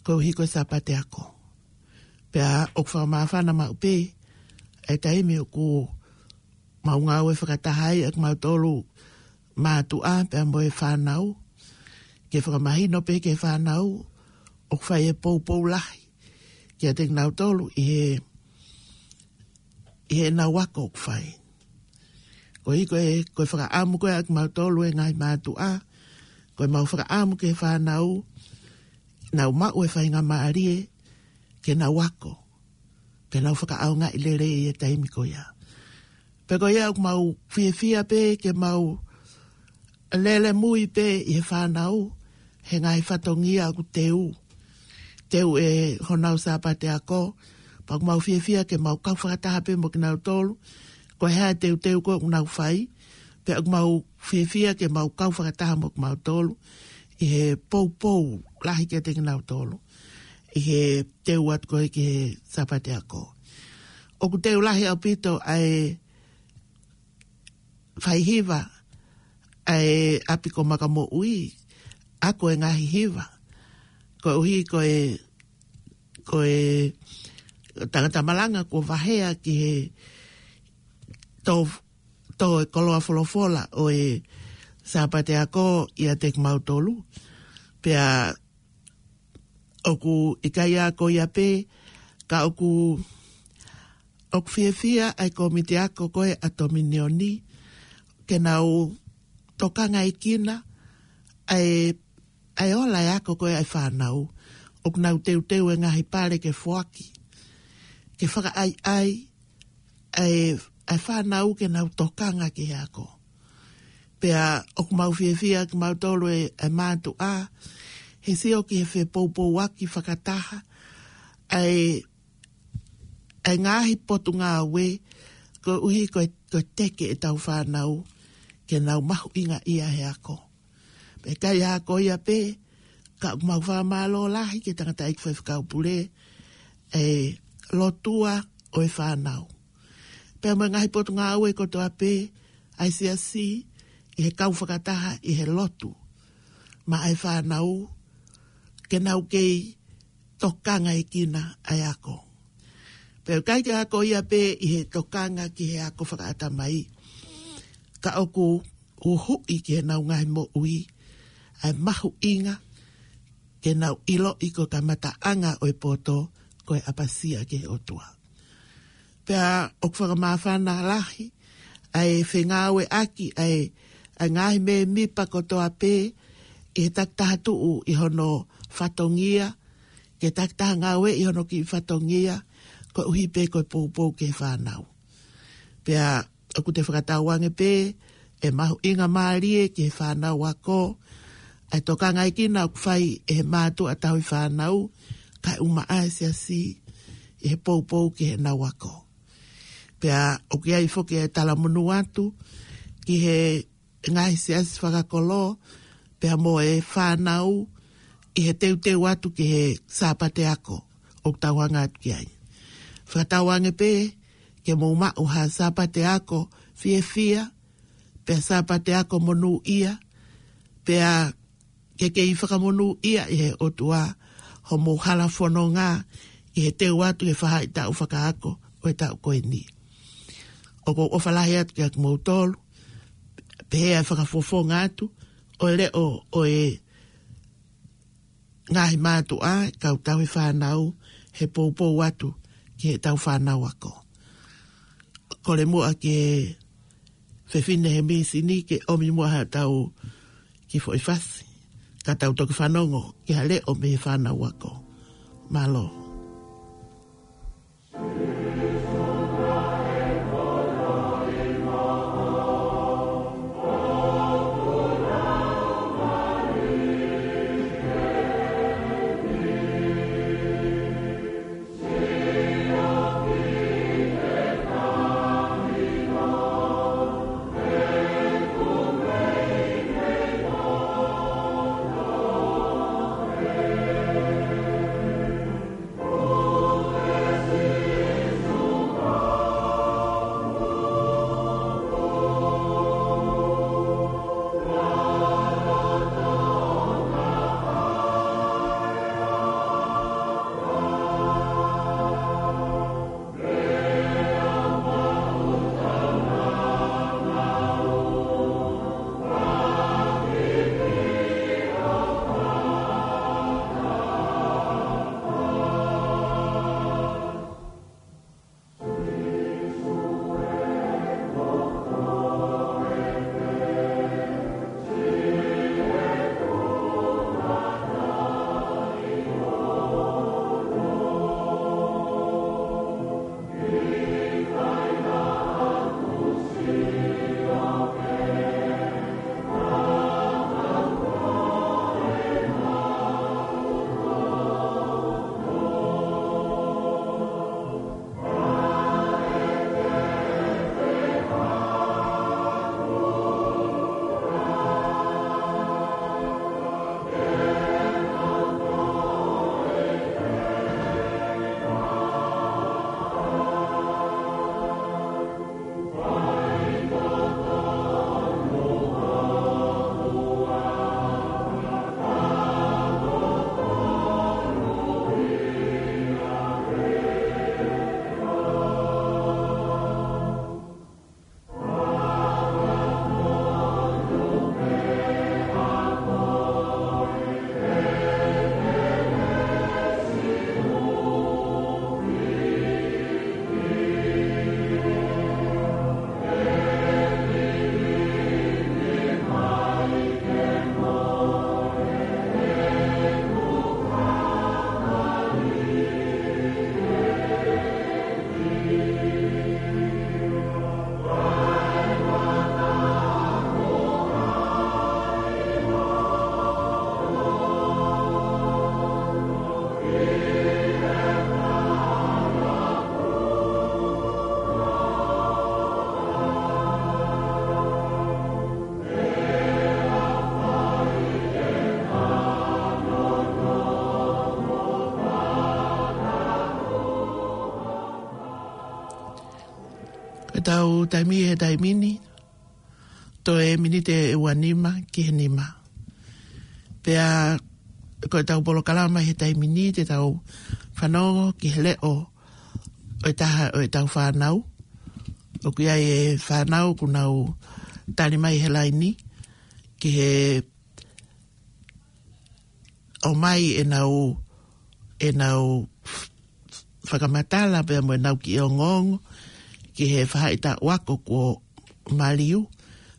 koeʻuhi ko e Sāpate ako. Pea ʻoku fakamāfana maʻu pē e taimi ʻoku mau ngāue fakataha ai ʻa kimautolu mātuʻa pea mo e fānau, ke fakamahino pē ki he fānau ʻoku fai e poupou lahi kiate kinautolu ʻi he, ʻi heʻenau ako ʻoku fai. Koeʻuhi ko e, ko e fakaʻamu ko ē ʻa kimautolu e ngaahi mātuʻa, ko ʻemau fakaʻamu ki he fānau, nau maʻu e faingamālie ke nau ako, ke nau fakaʻaongaʻi lelei e taimi ko ia. Pea ko ia ʻoku mau fiefia pē ke mau lele mui pē ʻi he fānau he ngaahi fatongia ʻoku teu, teu ʻe honau Sāpate ako. Pea ʻoku mau fiefia ke mau kau fakataha pē mo kinautolu, ko e hā e teuteu ko ē ʻoku nau fai, pea ʻoku mau fiefia ke mau kau fakataha mo kimautolu ʻi he poupou lahi kiate kinautolu ʻi he teu atu ko ē ki he Sāpate ako. ʻOku teu lahi ʻaupito ʻa e fai hiva ʻa e ʻapi ko Makamoʻui, ako e ngaahi hiva. Koeʻuhi ko e, ko e tangata malanga kuo vahea ki he tō, tō e koloa folofola ʻo e Sāpate ako ʻiate kimautolu. Pea ʻoku ʻikai ko ia pē, ka ʻoku, ʻoku fiefia ʻa e kōmiti ako ko ē ʻa Tōminioni, ke nau tokangaʻi kinautolu ʻa e, ʻa e ola e ako ko ē ʻa e fānau. ʻOku nau teuteu e ngaahi pale ke foaki, ke fakaʻaiʻai ʻa e, ʻa e fānau ke nau tokanga ki he ako. Pea ʻoku mau fiefia kimautolu e, e mātuʻa, he sio ki he fepoupouaki fakataha ʻa e, ʻa e ngaahi potungāue, koeʻuhi ko e, ko e teke ʻetau fānau ke nau mahuʻingaʻia he ako. Pea ʻikai ko ia pē, ka ʻoku mau fakamālō lahi ki he tangataʻeiki faifekau pule, e lotua ʻo e fānau. Pea mo e ngaahi potungāue kotoa pē ʻa e siasi ʻi he kau fakataha ʻi he lotu maʻa e fānau, ke nau kei tokangaʻi kinautolu ʻa e ako. Pea ʻikai ko ia pē ʻi he tokanga ki he ako fakaʻatamai, ka ʻoku uhuʻi ki heʻenau ngaahi moʻui ʻa e mahuʻinga ke nau ʻiloʻi ko e kamataʻanga ʻo e poto ko e ʻapasia ki he ʻOtua. Pea ʻoku fakamāfana lahi ʻa e fengāueʻaki ʻa e, ʻa e ngaahi mēmipa kotoa pē, ʻi he takitaha tuʻu ʻi hono fatongia, ke takitaha ngāue ʻi hono kiʻi fatongia, koeʻuhi pē ko e poupou ki he fānau. Pea ʻoku te fakatauange pē ʻe mahuʻinga mālie ki he fānau ako ʻa e tokangaʻi kina ʻoku fai ʻe he mātuʻa tauhi fānau, kae ʻumaʻā e siasi, ʻi he poupou ki heʻenau ako. Pea ʻoku ʻi ai foki e talamonū atu ki he ngaahi siasi fakakolo, pea mo e fānau ʻi he teuteu atu ki he Sāpate ako ʻoku tau hanga atu ki ai. Fakatauange pē ke mou maʻu ha Sāpate ako fiefia, pea Sāpate ako monūʻia, pea ke kei fakamonūʻia ʻe he ʻOtua homou hala fononga ʻi he teu atu ki he faʻahitaʻu fakaako ʻo e taʻu ko eni. ʻOku ou ʻofa lahi atu kiate kimoutolu, pehē ʻa e fakafofonga atu ʻo e leʻo ʻo e ngaahi mātuʻa, kau tauhi fānau, he poupou atu ki heʻetau fānau ako. Kole muʻa ki he fefine he misini ke ʻomi muʻa haʻatau kiʻi foʻi fasi, ka tau toki fanongo ki ha leʻo mei he fānau ako. Mālō. Ko ʻetau taimi he taimi ni, toe miniti ʻe ua nima ki he nima. Pea ko ʻetau polokalama he taimi ni te tau fanongo ki he leʻo ʻo e taha ʻo ʻetau fānau. ʻOku ʻi ai e fānau kuo nau tali mai he laini ki he ʻomai ʻenau, ʻenau fakamatala pea mo ʻenau kiʻi ongoongo ki he faʻahitaʻu ako kuo maliu,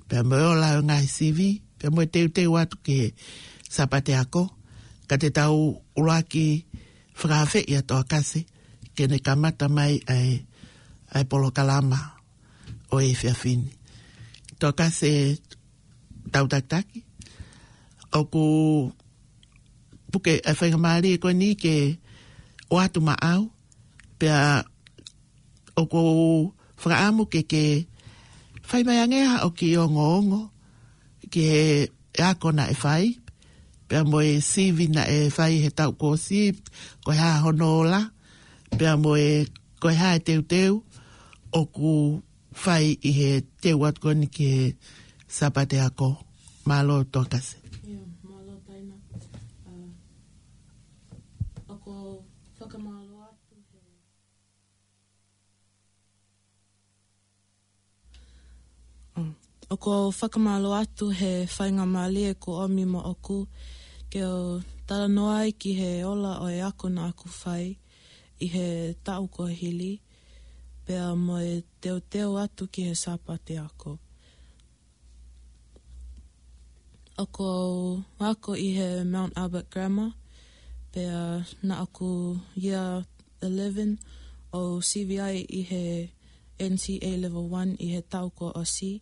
pea mo e ola ʻo e ngaahi sivi, pea mo e teuteu atu ki he Sāpate Ako, ka te tau ʻuluaki fakaafeʻi ʻa Toa Kase ke ne kamata mai ʻa e, ʻa e polokalama ʻo e efiafi ni. Toa Kase, tau takitaki. ʻOku puke ʻa e faingamālie ko eni ke ʻoatu maʻau, pea ʻoku ou fakaʻamu ke ke fai mai ange haʻo kiʻi ongoongo ki he ako naʻe fai, pea mo e sivi naʻe fai he taʻu kuo ʻosi, ko e hā hono ola, pea mo e, ko e hā e teuteu ʻoku fai ʻi he teu atu ko eni ki he Sāpate Ako. Mālō Toa Kase. ʻIo, mālō Taina. ʻA, ʻoku ou fakamālō atu he, ʻa, ʻoku ou fakamālō atu he faingamālie kuo ʻomi moʻoku ke u talanoa ai ki he ola ʻo e ako naʻa ku fai ʻi he taʻu kuo hili, pea mo e teuteu atu ki he Sāpate Ako. ʻOku ou ako ʻi he Mount Albert Grammar, pea naʻa ku year eleven ʻo sivi ai ʻi he N C A Level one ʻi he taʻu kuo ʻosi,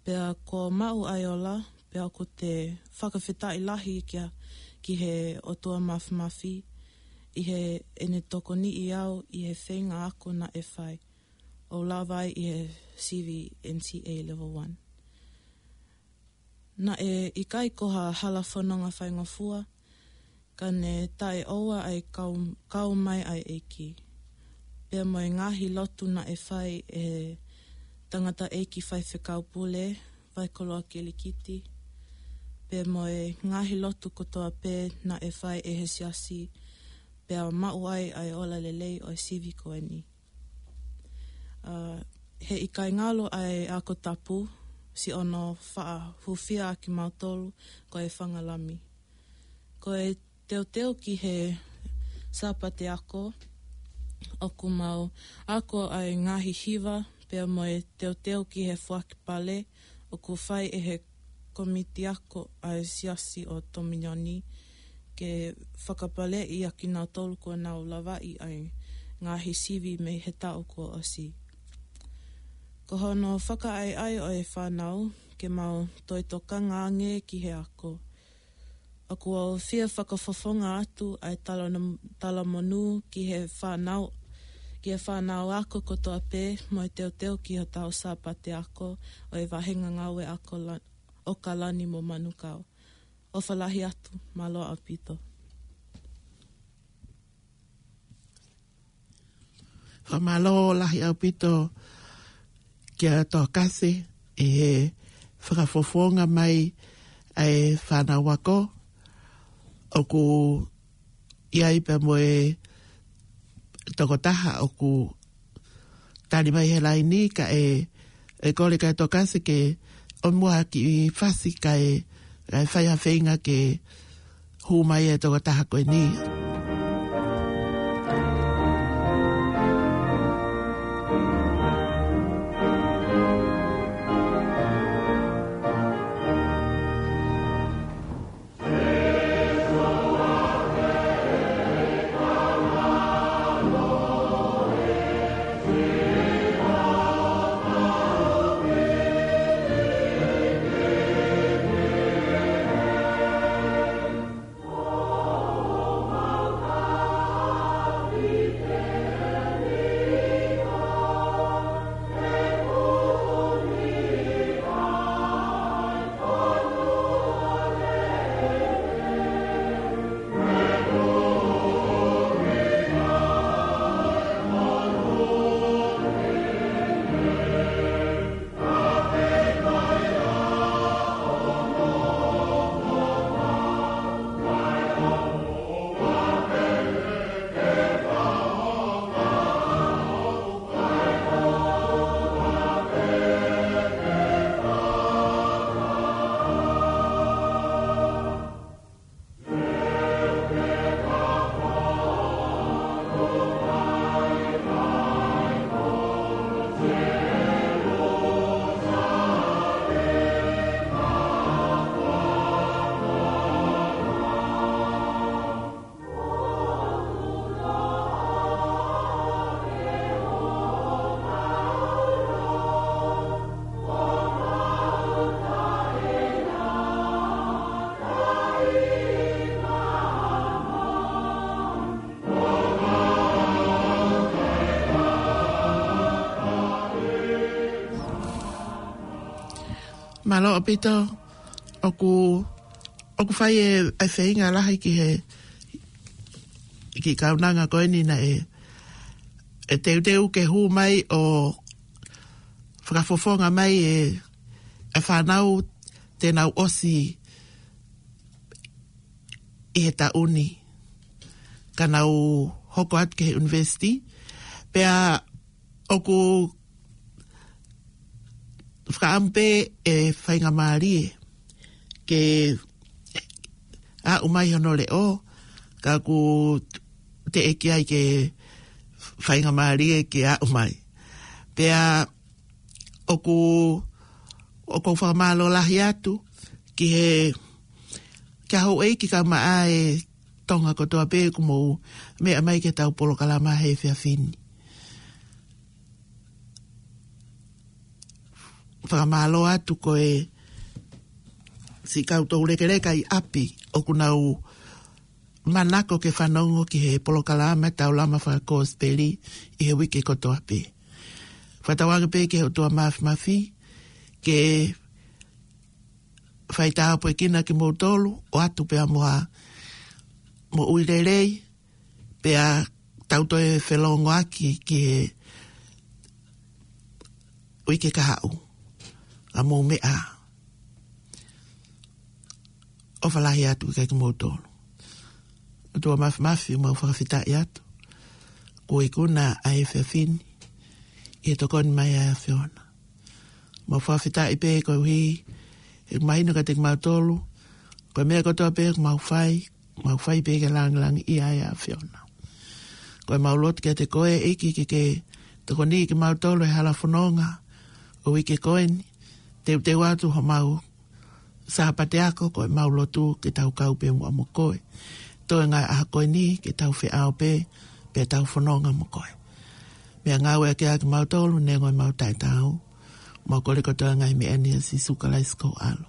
pea kuo maʻu ʻa e ola, pea ʻoku te fakafetaʻi lahi kia, ki he ʻOtua Mafimafi, ʻi heʻene tokoniʻi au ʻi he feinga ako naʻe fai ʻo lava ai ʻi he sivi N C A Level one. Naʻe ʻikai ko ha hala fononga faingofua, ka ne taʻeʻoua ʻa e kau, kau mai ʻa e ʻEiki. Pea mo e ngaahi lotu naʻe fai ʻe he tangataʻeiki faifekau pule, Vaikoloa Kilikiti, pea mo e ngaahi lotu kotoa pē naʻe fai ʻe he siasi, pea maʻu ai ʻa e ola lelei ʻo e sivi ko eni. ʻA, he ʻikai ngalo ʻa e ako tapu, siʻono faʻa hūfia ʻa kimautolu ko e fanga lami. Ko e teuteu ki he Sāpate Ako, ʻoku mau ako ʻa e ngaahi hiva, pea mo e teuteu ki he foaki pale, ʻoku fai ʻe he kōmiti ako ʻa e siasi ʻo Tominioni, ke fakapaleʻi ʻa kinautolu kuo nau lavaʻi ʻa e ngaahi sivi mei he taʻu kuo ʻosi. Ko hono fakaʻaiʻai ʻo e fānau, ke mau toe tokanga ange ki he ako. ʻOku ou fie fakafofonga atu ʻa e tala-, talamonū ki he fānau, ki he fānau ako kotoa pē mo e teuteu ki hotau Sāpate Ako ʻo e Vahenga Ngāue Ako La-, ʻo Kalani mo Manukau. ʻOfa lahi atu, mālō ʻaupito. Fakamālō lahi ʻaupito kia Toa Kase ʻi he fakafofonga mai ʻa e fānau ako. ʻOku ʻi ai pea mo e tokotaha ʻoku tali mai he laini, kae, ʻe kole kia Toa Kase ke ʻomai ha kiʻi fasi kae, kae fai ha feinga ke hū mai e tokotaha ko eni. Mālō ʻaupito, ʻoku, ʻoku fai e, e feinga lahi ki he, ki he kaunanga ko eni naʻe, ʻe teuteu ke hū mai ʻo fakafofonga mai e, e fānau te nau ʻosi ʻi he taʻu ni, ka nau hoko atu ki he university. Pea ʻoku fakaʻamu pē e faingamālie ke aʻu mai hono leʻo, ka ʻoku teʻeki ai ke faingamālie ke aʻu mai. Pea ʻoku, ʻoku ou fakamālō lahi atu ki he, ki he houʻeiki kae ʻumaʻā e Tonga kotoa pē ʻoku mou meʻa mai ki heʻetau polokalama he efiafi ni. Fakamālō atu ko e siʻi kau toulekeleka ʻi ʻapi ʻoku nau manako ke fanongo ki he polokalama Taulama Fakakosipeli ʻi he uike kotoa pē. Fakatauange pē ki he ʻOtua Mafimafi ke faitāpuekina kimoutolu, ʻoatu pea mo ha moʻui lelei, pea tau toe felōngoaki ki he uike kahaʻu, ʻa mou meʻa. ʻOfa lahi atu kia kimoutolu. ʻOtua Mafimafi, mau fakafetaʻi atu kuo ikuna ʻa e efiafi ni ʻi he tokoni mai ʻa e ʻAfiona. Mau fakafetaʻi pē koeʻuhi he mahino kiate kimautolu ko e meʻa kotoa pē ʻoku mau fai, mau fai pē ke langilangiʻia ai ʻa e ʻAfiona. Ko e mau lotu kiate koe ʻEiki ke ke tokoniʻi kimautolu he hala fononga ʻo e uike ko eni, teuteu atu homau Sāpate ako, ko e mau lotu ke tau kau pē muʻa mo koe. Toe ngaahi ʻaho ko eni ke tau feʻao pē, pea tau fononga mo koe. Meʻangāueʻaki ʻa kimautolu, neongo ʻemau taʻetaau. Mau kole kotoa ngaahi meʻa ni ʻia Sīsū Kalaisi ko ho ʻAlo.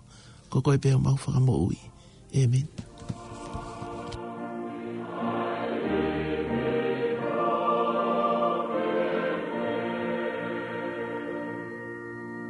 Ko koe pē homau Fakamoʻui. ʻĒmeni.